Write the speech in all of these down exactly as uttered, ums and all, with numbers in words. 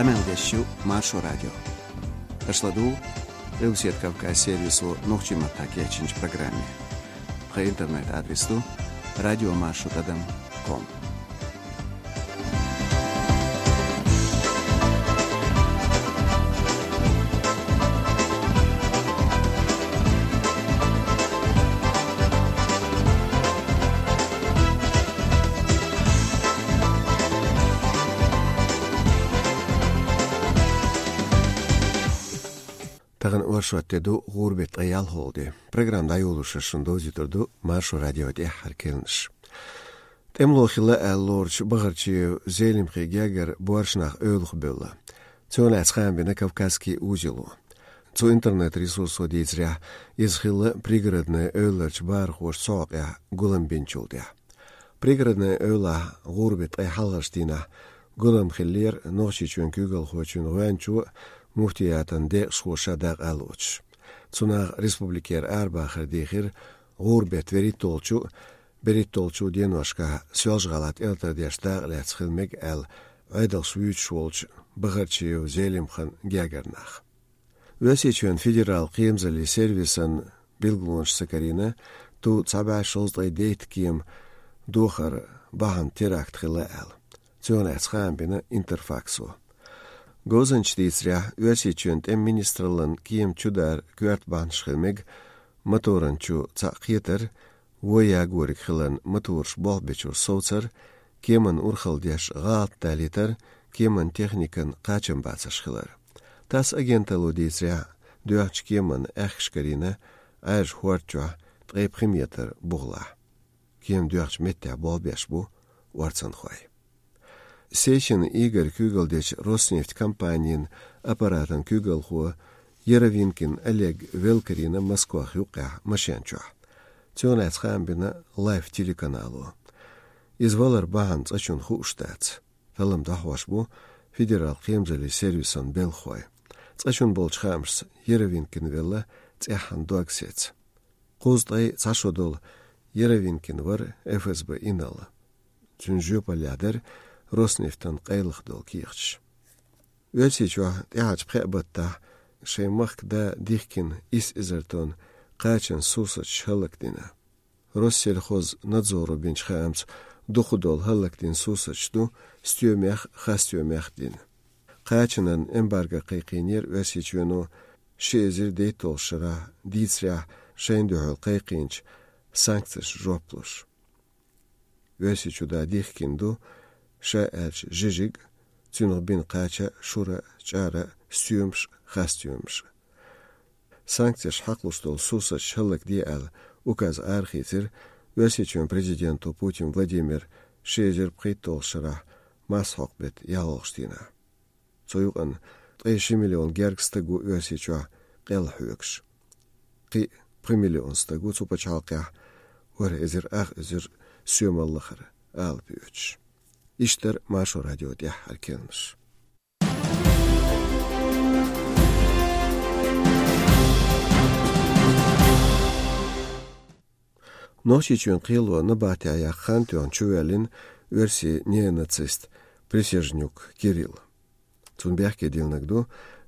Къамел деш ю Маршо радио. Аша ладугӀу Къилбаседа Кавказ сервисо нохчийн маттахь кечйинчу программе. Тхан интернет-адрес ду радиомаршо тӀадам ком. Тахана оршот де ду, гӀуран беттан ткъе ялхалгӀа де. Программа дӀайолош шуна довзуьйтур ду Маршо радион тӀаьххьара керланаш. ТӀемало хилла аьлла лоручу Бахарчиев Зелимхан гергара боьрша нах эвлахбевлла. Цунах лаьцна хаам бина «Кавказский узело». Цу интернет-ресурсо дийцарехь, иза хилла Пригородное эвларчу бахархоша цу хьокъехь гулам бинчул тӀаьхьа. Пригородное эвлахь гӀуран беттан ткъе хьалхарчу дийнахь гулам хиллера Нохчийчоьнан куьйгалхочун гӀоьнчо а, муфтиятан декъашхо ша дакъа а лоцуш. Цунах республикера арабахар дийхира гӀуран беттан берхӀитталгӀачу а, берхӀитталгӀачу а деношкахь Соьлжа-ГӀалахь тӀелатар деш дакъа лаьцна хила мега аьлла, Ӏедалш вуьйцуш волчу Бахарчиев Зелимхан гергара нах. Оьрсийчоьнан федералан кхерамзаллин сервисан билгалонаш ца карийна, ту цхьа бӀе шовзткъе дейтта кема дохар бахьана теракт хилла аьлла. Цунах лаьцна хаам бина Интерфаксо. Говзанчаша дийцарехь, Оьрсийчоьнан тӀеман министраллин кеман чудар коьрта бахьанаш хила мега: моторан чу цхьаъ кхетар, вон ягориг хиларна, мотораш болх бечуьра совцар, кеманна урхалла деш гӀалат далийтар, кеманан техникан кхачамбацарш хилар. ТАСС агенталло дийцарехь, доьхначу кеманна аьхкаш карийна Ӏаьржа хӀорда чохь ткъе пхи метр бухахь. Кема доьхначу меттехь болх беш бу орцанхой. Сечин Игорь куьйгалла дечу Роснефть компанин аппаратан куьйгалхо Яровинкин Олег велла карийна Москвах юккъехь машен чохь. Цунах лаьцна хаам бина Лайф телеканало. Иза валаран бахьана цкъачунна хууш дац. Таллам дохьош бу федералан кхерамзаллин сервисан белхахой. Цкъачунна болчу хаамашца, Яровинкин велла цӀеххьана дог сецна. Кхузткъе цхьа шо долу Яровинкин вара ФСБ инарла. Цуьнан жоьпаллехь дара Роснефтан къайлаха долу кехаташ. Оьрсийчохь тӀаьхьарчу пхеа баттахь шайн махка да дихкина исс эзар тонна кхачанан сурсаташ хӀаллакдина. Россельхознадзоро бинчу хаамца, дукхахдолу хӀаллакдина сурсаташ ду стоьмех а, хасстоьмех а дина. Кхачанан эмбарго кхайкхийнера Оьрсийчоьно ши эзар дейтталгӀачу шарахь, дийцарехь, шайна дуьхьал кхайкхийначу санкцешна жоп луш. Оьрсийчу да дихкина ду, ша аьлча, жижиг а, цуьнах бина кхача а, шура а, чӀара а, стоьмаш а, хасстоьмаш а. Санкцеш хьакхалуш долу сурсаташ хӀаллакде аьлла, указ арахийцира Оьрсийчоьнан президенто Путин Владимира ши эзар пхийтталгӀачу шарахь марсхьокху беттан ялхалгӀачу дийнахь. Цу юкъана ткъе ши миллион гергга стаг ву Оьрсийчохь къелла хьоьгуш. Кхин а пхи миллион стаг ву цу пачхьалкхехь ворхӀ эзар ах эзар соьмаллахара ала боьдуш. Иштта дара Маршо радион тӀаьххьара керланаш. Нохчийчоьнан кхело набахтехь яккха хан тоьхна чувоьллина оьрсийн неонацист Присяжнюк Кирилл. Цунна бехке диллинарг ду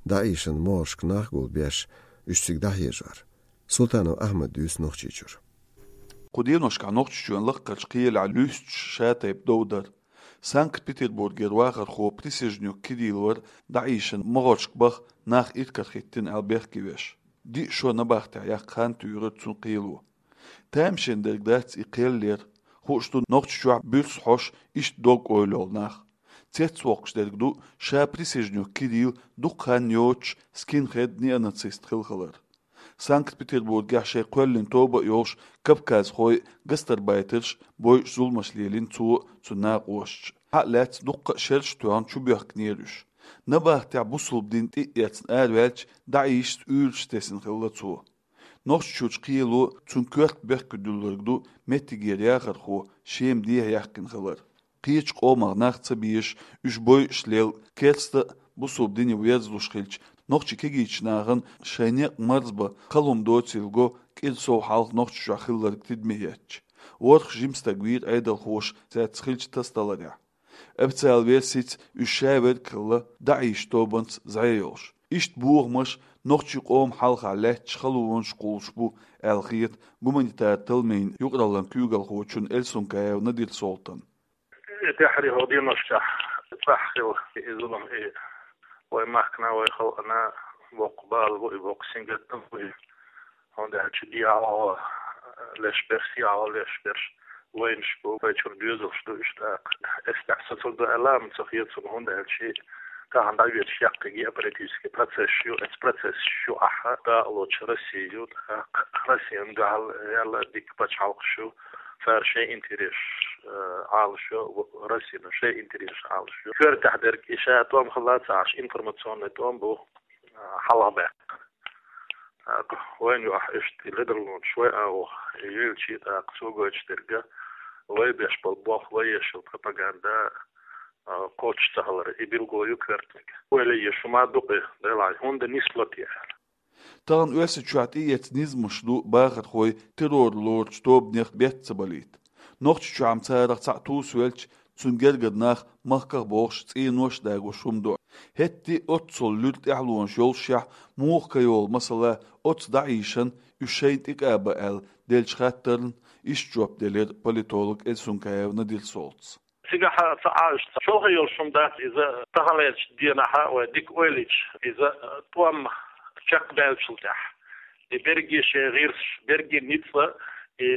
дӀаийшина могӀаршка нах гулбеш, уьш цига дӀахьежор. Султанов Ахьмада дуьйцу Нохчийчуьра. Кху деношкахь Нохчийчоьнан лакхарчу кхелехь луьстуш шатайпа дов дара. Санкт-Петербургера вахархо Присяжнюк Кирилл вара дӀаийшина могӀаршка баха нах иракарахӀиттина аьлла бехке веш. Диъ шо набахтехь яккха хан туьйхира цуьнан кхело. Тамашийна дерг дац и кхел яр. Хууш ду, Нохчийчохь буьрса хьош иштта дог-ойла йолу нах. Цецвоккхуш дерг ду ша Присяжнюк Кирилл дукха хан йоцуш скинхед, неонацист хилла хилар. Санкт-Петербургехь шайн кхоьллина тоба а йолуш кавказхой а, гастарбайтерш а бойуш зуламаш лелийна цо а, цуьнан накъосташа а. Цхьаъ лаьцна дуккха а шераш а тоьхна чубоьхкинера уьш. Набахтехь бусалба дин тӀе а эцна араваьлча, ДАИШ-ца уьйраш тесна хилла цо. Нохчийчуьрчу кхело цуьнан коьрта бехке дуьллург ду меттигера яхархо Шема дехьа яьккхина хилар. Кхечу къомах нах ца безаш, уьш бойуш лелла, керста а, бусалба дине верзалуш хилча, нохчийн кегийчу нахана шайн некъ марзбан кхалхам доцийла го кӀира сов хьалха Нохчийчохь хилларг тидаме хӀоьттича. ВорхӀ жима стаг вийра Ӏедалхоша цаьрца хиллачу тасадаларехь. Официал версица, уьш шаверг хилла ДАИШ тобанца зӀе йолуш. Иштта бохамаш нохчийн къоман хьалха лаьтташ халонаш кхуллуш бу аьлла хета гуманитар талламийн юкъараллин куьйгалхочун Эльсункаев Надир-Солтан. И тӀаьххьара хӀокху деношкахь цӀахь хилла и зулам, и вайн махкана, вайн халкъана боккха бала бу и, боккха сингаттам бу и. ХӀунда аьлча дехьа леш берш, сехьа леш берш вайнаш бу, вай чуьра доьзалш ду уьш тӀаккха. Эс тӀехь сацалла ду аьлла, амма ца хета суна, хӀунда аьлча тахана дӀавоьдуш яккхий геополитический процессаш ю, эцу процессаш ю ахь дакъалоцуш Россия ю, тӀаккха Россин дуьхьал яьлла дика пачхьалкхаш ю, цара шайн интересаш, э, Ӏалашйо, Россина шайн интересаш Ӏалашйо. Коьртехь дерг и ша тӀом хилла ца Ӏаш, информационный тӀом бу, э, хьалхабаьккхина. ТӀаккха вайна юкъахь иштта и ледарлонаш вай агӀо елча, тӀаккха цо гойтуш дерг, вай беш болу болх, вай еш йолу пропаганда, а, кхочуш ца хилар, и билгало ю коьртаниг. Ойла еш хӀума ду-кх и, делахь, хӀунда нисло те аьлла. Тахана Оьрсийчохь тӀеэцна низамаш ду бахархой террор лоручу тобанех бетта ца балийта. Нохчийчохь-м царах цхьаъ тувсавелча, цунна гергара нах махках а бохуш, цӀенош а дагош хӀума ду. ХӀетте а оццул луьра тӀаьхьалонаш йолушехь, муха кхайолу, масала, оцу ДАИШан уьш шайна тӀекӀаба аьлла деллачу хаттарна иштта жоп делира политолог Эльсункаев Надир-Солтас. Цигахь ца Ӏаш, ца чолхе йолуш хӀума дац иза, таханлерчу денахь вай дика ойла йича, иза тӀом чекхбаьллачул тӀаьхьа. И берриге шайн гӀирсаш, берриге ницкъ, и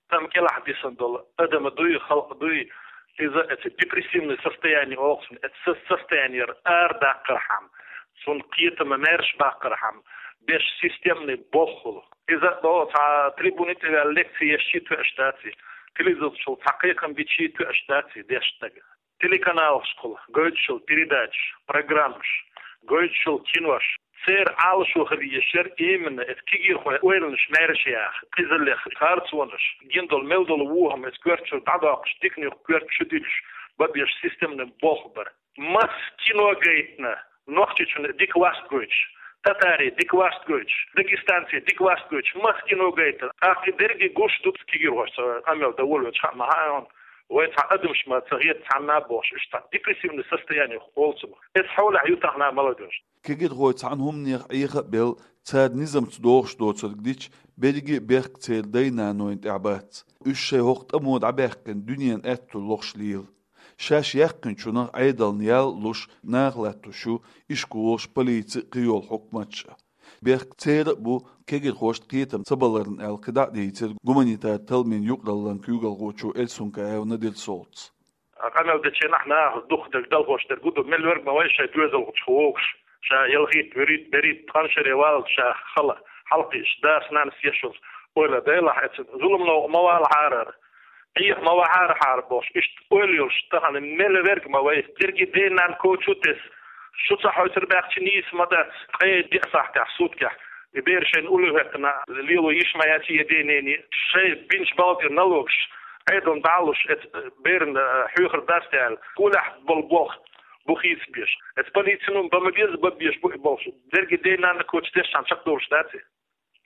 тӀом кӀелахь дисина долу адам дуй, халкъ дуй, иза эцу депрессивный состояние олу цунна, эцу со-, состояниера арадаккхархьама, цунна кхетам маьрша баккхархьама, беш системный болх хуьлу. Иза а боху, цхьа трибуни тӀе ваьлла лекци еш чу тоьаш дац и, телевизор чу цхьа кхайкхам бича тоьаш дац и деш стаг. Телеканалашкахула гойтуш йолу передачаш, программаш, гойтуш йолу кинош, церан Ӏалашо хила езаш яра именно эцу кегийрхойн ойланаш маьрша яха, къизаллех, харцонаш, гина долу мел долу вон хӀума эцу коьрта чуьра дӀадоккхуш, диканиг коьрта чу диллуш, бан беш системный болх бар. Масса кино гайтина, Нохчийчунна дика васт гойтуш, татарийн дика васт гойтуш, дагестанцийн дика васт гойтуш, масса кино гайтина. ТӀаккха и дерриге гуш ду-кх кегийрхошца, къамел дан волавелча, хаа ма хаьа хьуна, вай цхьа адамаш ма ца хета цхьанна а бохуш, уьш цхьа депрессивный состояние олу цунах. Эцу хьолехь ю тахана молодёжь. Кегийрхой цхьана хӀуманех Ӏеха а белла, цара низамца догӀуш доцург дича, берриге а бехк церан дай-нанойн тӀехь бац. Уьш шайн хӀокху тӀамо дӀабаьккхина дуьненан аьтту лохуш лела. Шаьш яьккхинчунах Ӏедална ял а луш, наха латтош ю ишколаш, полици а, кхийолу хьукматаш а. Бехк церан а бу, кегийрхошна кхетам ца баларна аьлла, кхидӀа а дийцира гуманитар талламийн юкъараллин куьйгалхочо Эльсункаев Надир-Солтас. Къамел дечу хенахь наха дукхахдерг, далхош дерг хӀун ду, мел верг ма вай шайн доьзалхочух вогуш, ша ялхитта, вуьрхӀитта, берхӀитта, тхан шаре валлалц ша хала хьалакхиъча, дас-нанас еш йолу ойла, делахь эцу зуламна ма валахьара, Ӏеха ма вахьара хьара бохуш, иштта ойла йолуш тахана мел верг ма вай. Дерриге ден-нанна коча тесна, шу ца хьоьцур баьхча нийса ма дац, ткъе диъ сахьтехь, суткехь и бер шайна уллехь хӀоьттина лело йиш ма яц и ден-ненан, шайн бинчу балха тӀера налогаш Ӏедална дӀа а луш, эцу берна, э, хьоьхур дац те аьлла, кулехь болу болх бу хийцабеш. Эцу полицин бан ма беза, бан беш бу и болх. Дерриге ден-нанна коча тесчхьана чекхдолуш дац и.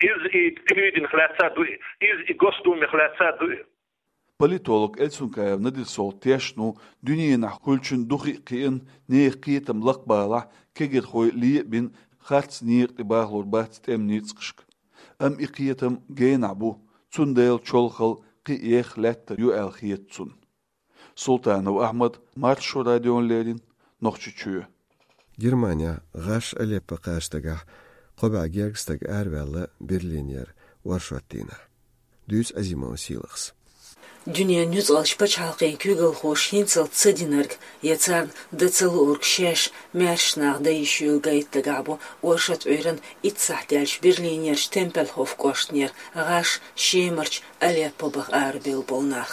Иза и телевиденех лаьцна а ду и, иза и Госдумех лаьцна а ду и. Политолог Эльсункаев Надир-Солтан тешна ву, дуьненахь хуьлучун духи а кхиъна, нехан кхетам лакхабалахь, кегийрхой ле а бина, харц некъа тӀе бахалур бац тӀеман ницкъашка. Амма и кхетам генахь бу, цундела чолхалла кхин а еха лаьттар ю аьлла хета цунна. Султанов Ахьмад, Маршо радиона леррина, Нохчийчоь. Германехь гӀаш Алеппо кхача дагахь кхо бӀе гергга стаг араваьлла Берлинера оршот дийнахь. Дуьйцу Азимова Сийлахьас. Дуьненан нуьцкъалчу пачхьалкхийн куьйгалхоша хӀинцалц ца динарг я царна дан ца луург шаьш маьрша нах дан йиш йолу гайта дагахь бу оршот Ӏуьйранна итт сахьт даьлча Берлинерчу Темпельхоф кӀоштара гӀаш Шемарчу Алеппо баха арабевлла болу нах.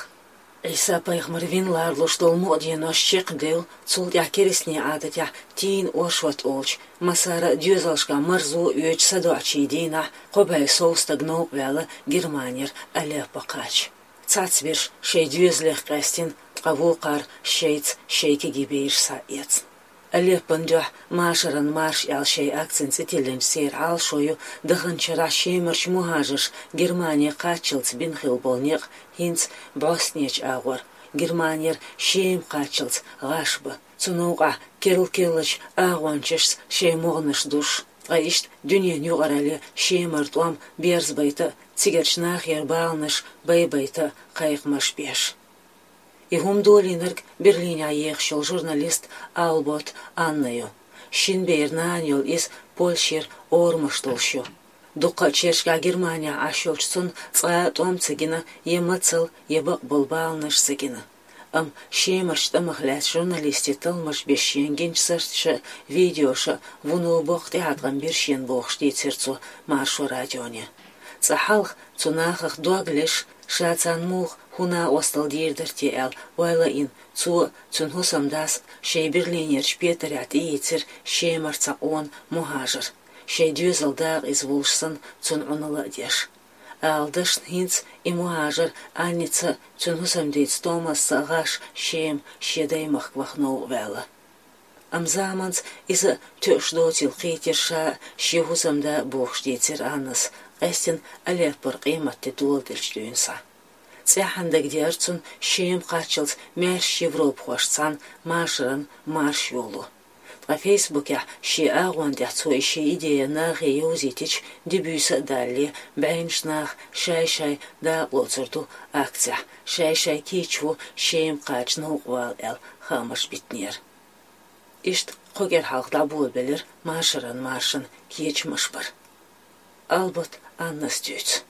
Ӏийса-пайхамар вина ларалуш долу мукъа денош чекхдевлла, цул тӀаьхьа керстанийн Ӏадатехь тийна оршот олучу, массара а доьзалшкахь марзо а оьцучу садоӀучийн дийнахь кхо бӀе сов стаг новкъа ваьлла Германера Алеппо кхача. Цхьацберш шайн доьзалех къаьстина, ткъа вукхара шайца шайн кегий бераш схьаэцна. Алеппон дуьхьа «Машаран марш» аьлла шайн акцина цӀе тиллинчу церан Ӏалашо ю, даханчу шарахь Шемарчу мухӀажарша Германе кхаччалц бина хилла болу некъ хӀинца бӀостанечу агӀор, Германера Шема кхаччалц гӀаш ба. Цу новкъахь керла-керлачу агӀончашца шайн могӀанаш душ. Ткъа иштта дуьненан юкъаралле Шемара тӀом берзабайта а, цигарчу нахера баланаш байбайта а кхайкхамаш беш. И хӀума долийнарг Берлинехь ехаш йолу журналист Албот Анна ю. Шина беран нана йолу иза Польшера орамаш долуш ю. Дуккха а чергахь Германехь Ӏаш йолчу цунна цкъа а тӀом ца гина, я мацалла, я бакъболу баланаш ца гина. Амма Шемарчу тӀамах лаьцна журналистийн талламаш беш шена гинчу сарташа а, видеоша а вуно боккха тӀеӀаткъам бира шена бохуш дийцира цо Маршо радионе. Цкъа хьалха цу нахах дог леш, ша царна муха хӀун накъосталла дийр дара те аьлла ойла а йина, цо а, цуьнан хӀусамдас а шайн Берлинерчу петарехь тӀеийцира Шемара цхьа къона мухӀажар. Шайн доьзалан дакъа иза волуш санна, цунна Ӏуналла а деш. Ала дашна, хӀинца и мухӀажар Анница а, цуьнан хӀусамдица Томасца а гӀаш Шема шен даймахка ваха новкъа ваьлла. Амма заманца иза а тоьуш доцийла кхийтира ша а, шен хӀусамда а бохуш дийцира Аннас, къаьстина Алеппора къематде доладелчу дуьйна схьа. ЦӀеххьана дагадеара цунна Шема кхаччалц маьрша европахошца цхьаьна машаран марш йоло. Ткъа Фейсбукехь шен агӀон тӀехь цо и шен идея нахе йовзийтича, де-буьйса а далале, бӀеннаш наха шай-шай дакъалоцур ду акцехь, шай-шай кийчо Шема кхача новкъа вала аьлла хаамаш битинера. Иштта кхо кӀира хьалха дӀаболабелира машаран маршан кечамаш бар. Албот Аннас дуьйцу.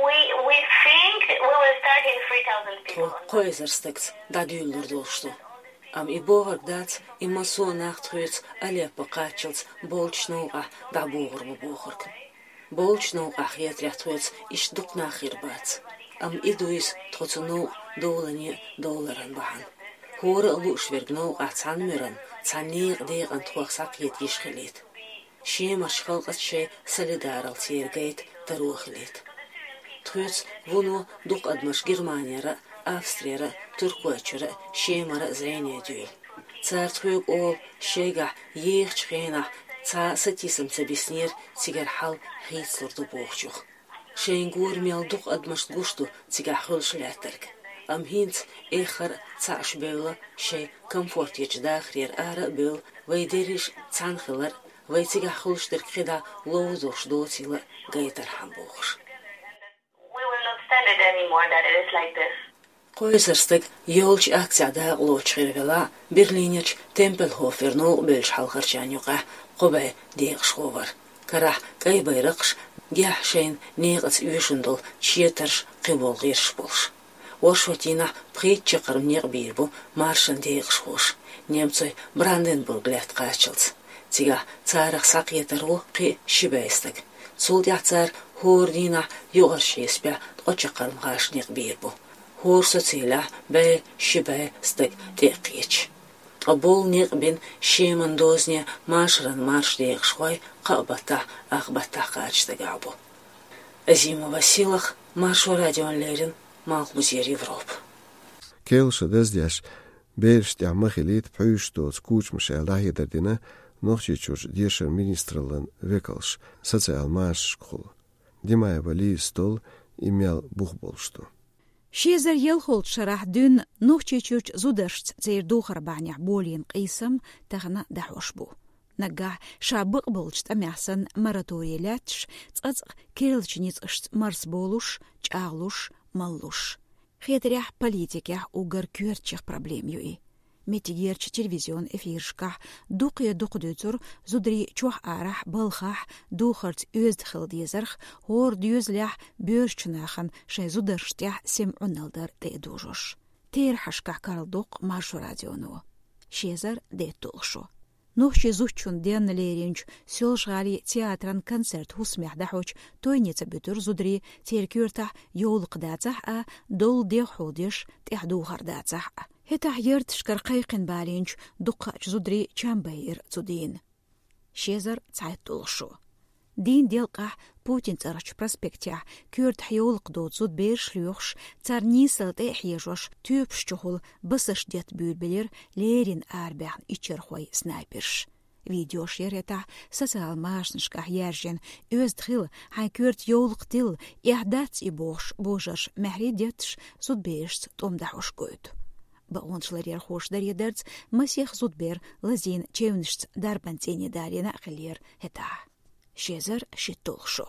We, we think we will start in three thousand people. Тхо кхо эзар стагца дӀадуьйлалур долуш ду. Амма и бохург дац, и массо а нах тхоьца Алеппо кхаччалц болчу новкъахь дӀабохур бу бохург. Болчу новкъахь хетарехь тхоьца иштта дукха нах хир бац. Амма и дуьйцу тхо цу новкъа довлане а довларан бахьана. ХӀора а лууш верг новкъахь цхьана муьран, цхьана некъан декъана тхох схьакхета йиш хилийта. Шемарчу халкъаца шайн солидаралла церан гайта таро хилийта. Тхоьца вуно дукха адамаш Германера а, Австрера а, Туркойчуьра а, Шемара а зӀене дуьйлу. Цара тхоьга олу, шайгахь ехачу хенахь цхьа а сатийсам ца биснера цигара хьал хийцалур ду бохучух. Шайна гура мел дукха адамашна гуш ду цигахь хуьлуш лаьттарг. Амма хӀинца эххар а цхьаъ шу бевлла, шайн комфорт ечу дахарера ара а бевлла, вай дерриш а цхьаьна хилар а, вай цигахь хуьлуш дерг кхидӀа ловзош доцийла а гайтархьама бохуш. We will not stand it anymore that it is like this. Кхо эзар стаг йолчу акцехь дакъалоцуш хир велахь а, Берлинерчу Темпельхофера новкъа бевллачу хьалхарчарна юкъахь кхо бӀе декъашхо вара. Карахь кӀай байракхаш, гехь шайна некъаца оьшуш долу четарш, кхиболу гӀирсаш болуш. Оршот дийнахь пхийтта чаккхарма некъ бийр бу маршан декъашхоша, немцойн Бранденбург лаьтта кхаччалц. Цигахь царах схьакхетар ву кхин а ши бӀе стаг. Цул тӀаьхьа цара хӀора дийнахь юкъарчу хьесапехь ткъа чаккхарма гӀаш некъ бийр бу. ХӀора социйлехь бӀе, ши бӀе стаг тӀе а кхеташ. Ткъа болу некъ бина Шеман дозане машаран марш декъашхой кхаа баттахь, ах баттахь кхача стагах бу. Азимова Силах, Маршо радиона леррина, Малхбузера Европа. Кхелаша даздеш, бераш тӀехь ма хилийта пхьуьйсуш доцу кучамаш аьлла дӀахьедар дина Нохчийчуьрчу дешаран министраллан векалша социал машанашкахула. Димаева Лизас толлу и мел бух болуш ду. Ши эзар ялхолчу шарахь дуьйна Нохчийчуьрчу зударшца церан духар бахьанехь болийна къийсам тахана дӀахьош бу. Наггахь ша бакъболчу тӀамехь санна мораторий лаьтташ, цкъацкъа керлачу ницкъашца марсаболуш, чӀагӀлуш, маллуш. Хетарехь, политикехь уггар коьртачех проблема ю и. Меттигерчу телевизион эфирашкахь дукха-дукха дуьйцура зударий чохь-арахь, балхахь духарца оьзда хила дезарх, хӀора доьзалехь боьршачу нахана шайн зударшна тӀехь сема Ӏуналла дар тӀе а дужуш. Терахьашкахь карладоккху Маршо радионо. Ши эзар дейтталгӀа шо. Нохчийн зудчун денна леринчу Соьлжа-ГӀалин театран концерт хӀусамехь дӀахьочу тойне ца буьтура зударий, церан коьртахь йовлакх дацахь а, долу дегӀ хьулдеш, тӀаьхьа духар дацахь а. ХӀетахь ярташкара кхайкхина балийначу дуккхачу зударийн чам байира цу дийнан. Ши эзар цхьайтталгӀа шо. Дийнан делкъахь Путин цӀарахчу проспектехь коьртахь йовлакх доцу зудабераш лоьхуш, царна нийсалла тӀе а хьежош, тоьпаш чухула басаш детта буьйлабелира леррина арабаьхна иччархой, снайперш. Видеош яр хӀетахь социал машанашкахь яьржина, оьзда хила, хьайн коьрта йовлакх тилла, эхь дац и бохуш, божарша маьхьарий детташ зудаберашца тӀом дахьош гойту. Бакъонаш ларъярхоша даре дарца, масех зудабер лазийна чевнашца дарбан цӀийне далийна а хиллера хӀетахь. Ши эзар шийтталгӀа шо.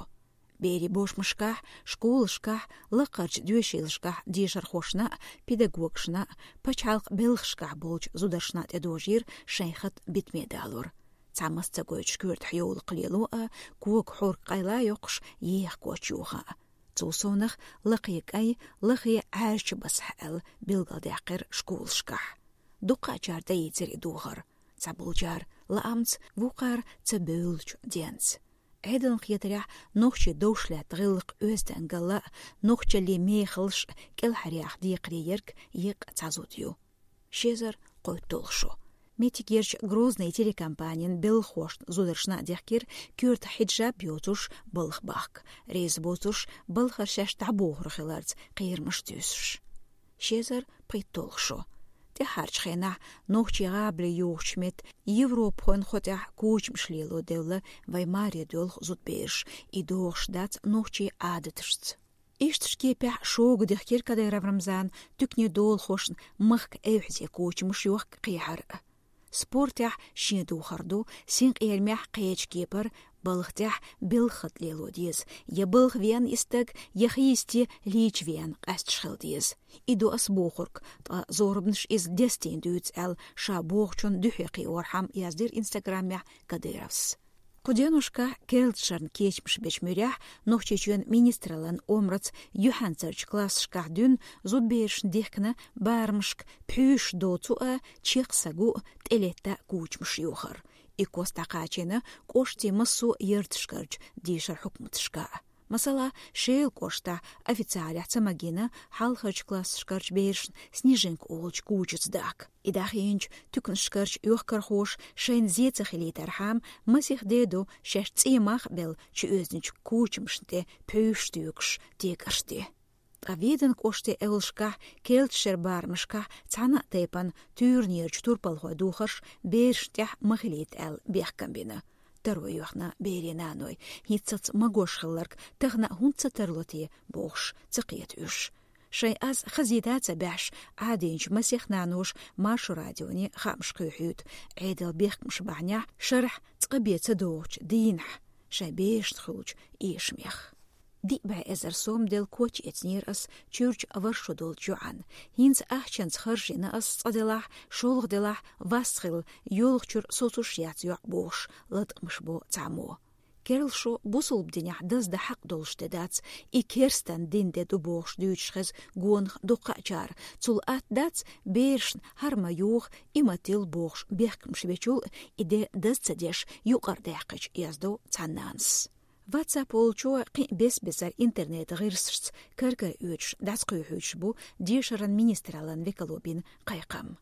Берийн бошмашкахь, школашкахь, лакхарчу доьшийлашкахь дешархошна а, педагогашна а, пачхьалкхан белхашкахь болчу зударшна а тӀедожийра шайн хатӀ битаме далор. Цхьамма ца гойтуш коьртахь йовлакх лело а, кога хьорг къайла а йоккхуш, еха коч йохо а. Цул совнах лакхе кӀай, лахе Ӏаьржачу басахь аьлла билгалдаьккхира школашкахь. Дуккха а чара тӀеийцира и духар. Цхьаболчара лаамца, вукхара ца бевллачу денца. Ӏедална хетарехь, нохчийн довш лаьтта гӀиллакх оьздангалла а, нохчаллин мехаллаш а кӀелхьаръяха декхаре ерг еккъа цхьа зуда ю. Ши эзар кхойтталгӀа шо. Меттигерчу «Грозный» телекомпанин белхахошна зударшна а дехкира коьртахь хьиджаб йоцуш балха бахка, реза боцурш балхара шаьш дӀабохур хиларца кхерамаш туьйсуш. Ши эзар пхийтталгӀа шо. ТӀаьхьарчу хенахь нохчий гӀабали юхучу метта Европахойн хьо тӀехь кучамаш лело девлла вайн маре доьлху зудабераш, и догӀуш дац нохчийн Ӏадаташца. Иштачу кепехь шога дехкира Кадыров Рамзана туьканийн долахошна махка эвхьазе кучамаш йохка кхехьар а. Спортехь шен духар ду, синкъерамехь кхечу кепара, балха тӀехь белхан хатӀ лело деза, я балха веана и стаг, я хийсте лийча веана къаьсташ хила деза. И ду ас бохург, ткъа зорбанаш иза дестийна дуьйцу аьлла, ша бохучунна дуьхье кхиорхьама яздира Инстаграмехь Кадыровс. Кху деношкахь керлачу шарна кечамаш бечу муьрехь Нохчийчоьнан министраллан омраца юьхьанцарчу классашкахь дуьйна зудаберашна дихкина барамашка пхьуьйшаш доцу а, чекх са гу а, тӀелетта а кучамаш йохар. И кос дӀакхачийна кӀоштийн массо а ярташкарчу дешаран хьукматашка а. Масала, Шелан кӀоштахь официалехь ца магийна хьалхарчу классашкарчу берашна снежинка олучу кучаца дахка. И дӀахийначу туьканашкарчу йохкархоша шайна зен ца хилийтархьама, масех де ду шаьш цӀий мах а белла чуоьзначу кучамашна тӀе пхьуьйшаш туьйсуш текарш де. Ткъа Веданан кӀоштан эвлашкахь керлачу шеран барамашкахь цхьана а тайпана туьйранерчу турпалхойн духарш берашна тӀехь ма хилийта аьлла бехкам бина. Таро йоьхна берийн наной, хӀинццалц магош хилларг тахана а хӀунда ца тарло те бохуш, ца кхета уьш. Шайн аз хазийта а ца баьхьаш, Ӏадийначу масех наноша Маршо радионе хаамаш кхоьхьуьйту Ӏедалан бехкамаш бахьанехь шарахь цкъа бен ца догӀучу дийнахь шайн берашна хуьлучу эшамех. Диъ бӀе эзар сом делла коч эцнера ас чуьрчу ворхӀ шо долчу йоӀана. ХӀинца ахчанца харжийна ас цкъа делахь, шолгӀа делахь, вас хилла, йолхучуьра соцуш яц йоӀ бохуш, латкъамаш бо цхьаммо. Керла шо бусалба динехь даздан хьакъ долуш де дац, и керстан дин де ду бохуш дуьйцуш хеза гонах дуккха а чара. Цул атта дац, берашна хӀара ма юха, и ма тилла бохуш бехкамаш бечул а, и де даз ца деш юкъара даьккхича, яздо цхьана нанас. WhatsApp волчо кхин а бес-бесара интернет-гӀирсашца кар-кара оьцуш дӀасакхоьхьуьйтуш бу дешаран министраллан векало бина кхайкхам.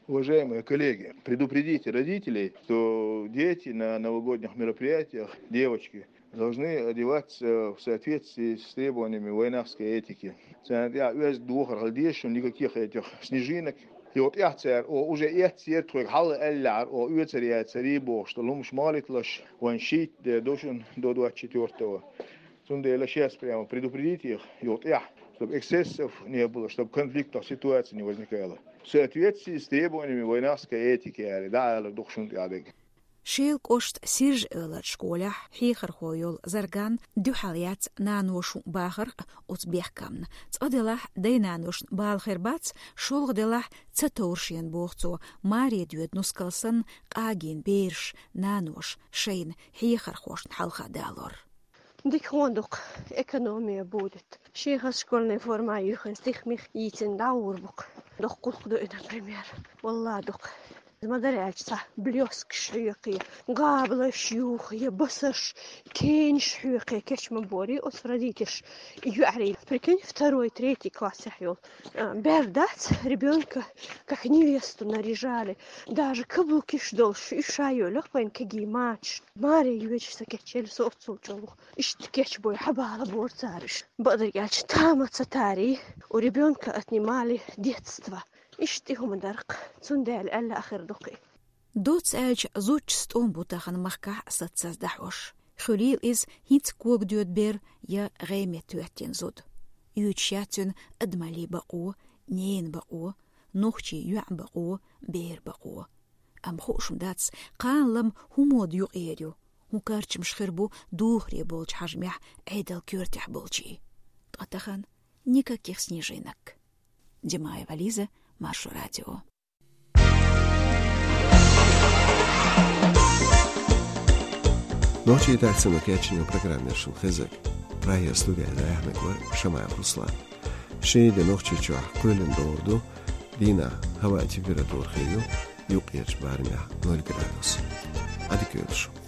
Уважаемые коллеги, предупредите родителей, что дети на новогодних мероприятиях, девочки, должны одеваться в соответствии с требованиями вайнахской этики. Царна тӀехь оьзда духар хила дезаш, никаких этих снежинок. Юха тӀехь цара, о, уже эццера тхоьга хьалха аьллехьара, о, оьцур яцара бохуш, тӀе лумаш ма хилийталаш, вайн шийтта де ду шуна до двадцать четвёртого. Цундела сейчас прямо предупредите их, юха тӀехь, чтобы эксцессов не было, чтобы конфликтных ситуаций не возникало. В соответствии с требованиями вайнахской этики, аьлла, дӀаала дукха шуна тӀехь дерг. Шелан кӀоштан Сиржа-Эвлара школехь хьехархо йолу Зарган дуьхьал яц наноша хӀума бахарх оцу бехкамна. Цкъа делахь, дай-наношна бала хир бац, шолгӀа делахь, ца товра шена, боху цо, маре доьду нускал санна къагийна бераш, наноша шайна хьехархошна хьалха далор. Дика хӀун ду-кх, экономия будет. Шен хаза школьная форма юьйхина, стих-мих йийцина дӀагӀур бу-кх. Доккха гӀуллакх ду и, например. Валлахь, ду-кх. Ма-дарра аьлча, цхьа блёсткаш хьоькхий, гӀабалаш юхий, басаш, кенаш хьоькхий кечбан бора оцу родительш, и юьхьарий. Прикинь, второй, третий классехь йолу, а, бер дац, ребёнка как невесту наряжали. Даже каблукиш долуш, уьш ша йолуш, вайн кегий мачаш. Маре йоьдуш ца кечъелла со оццул чӀогӀа. Иштта кечбой, хьабала бора цара уьш. Бакъдерг аьлча, тамаца тари, у ребёнка отнимали детство. Иштта и хӀума дара-кх, цундела аьлла а хир ду-кх и. Доцца аьлча, зудчун тӀом бу тахан махкахь а саццаза дӀахьош. Хуьлийла иза хӀинца кога доьду бер я гӀеме тоьттина зуда. Оьцуш яц цуьнан адамаллин бакъо, ненан бакъо, нохчийн йоьӀан бакъо, беран бакъо. Амма хууш ма дац, кхана лама хӀун мода юкъера ю, хӀун карчамаш хир бу духаре болчу хьажамехь Ӏедалан коьртехь болчийн. Ткъа тахана никаких снежинок. Димаева Лиза, Маршо радио. Нохчийн редакцино кечйина программа яра шуна хезнарг. Прагера студера дӀаяьхьнарг вара Шамаев Руслан. Ши де Нохчийчохь кхоьлина догӀур ду, дийнахь хӀаваан температура хир ю юккъерчу барамехь ноль градус. Ӏадика йойла шун.